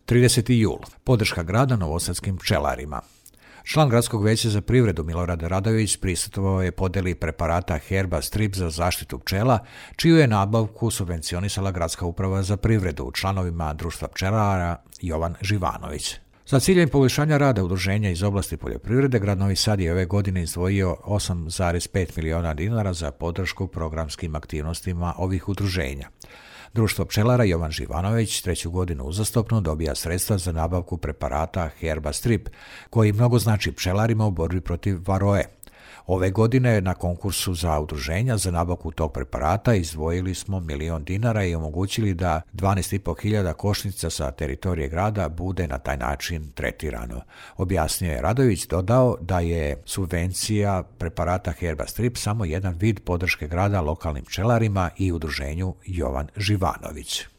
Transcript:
30. jul. Podrška grada novosadskim pčelarima. Član Gradskog veća za privredu Milorad Radović prisustvovao je podeli preparata Herba Strip za zaštitu pčela, čiju je nabavku subvencionisala Gradska uprava za privredu članovima Društva pčelara Jovan Živanović. Za ciljem poboljšanja rada udruženja iz oblasti poljoprivrede, grad Novi Sad je ove godine izdvojio 8,5 miliona dinara za podršku programskim aktivnostima ovih udruženja. Društvo pčelara Jovan Živanović 3. godinu uzastopno dobija sredstva za nabavku preparata Herba Strip, koji mnogo znači pčelarima u borbi protiv varoe. Ove godine na konkursu za udruženja za nabavku tog preparata izdvojili smo 1 milion dinara i omogućili da 12.500 košnica sa teritorije grada bude na taj način tretirano. Objasnio je Radović, dodao da je subvencija preparata Herba Strip samo jedan vid podrške grada lokalnim pčelarima i udruženju Jovan Živanović.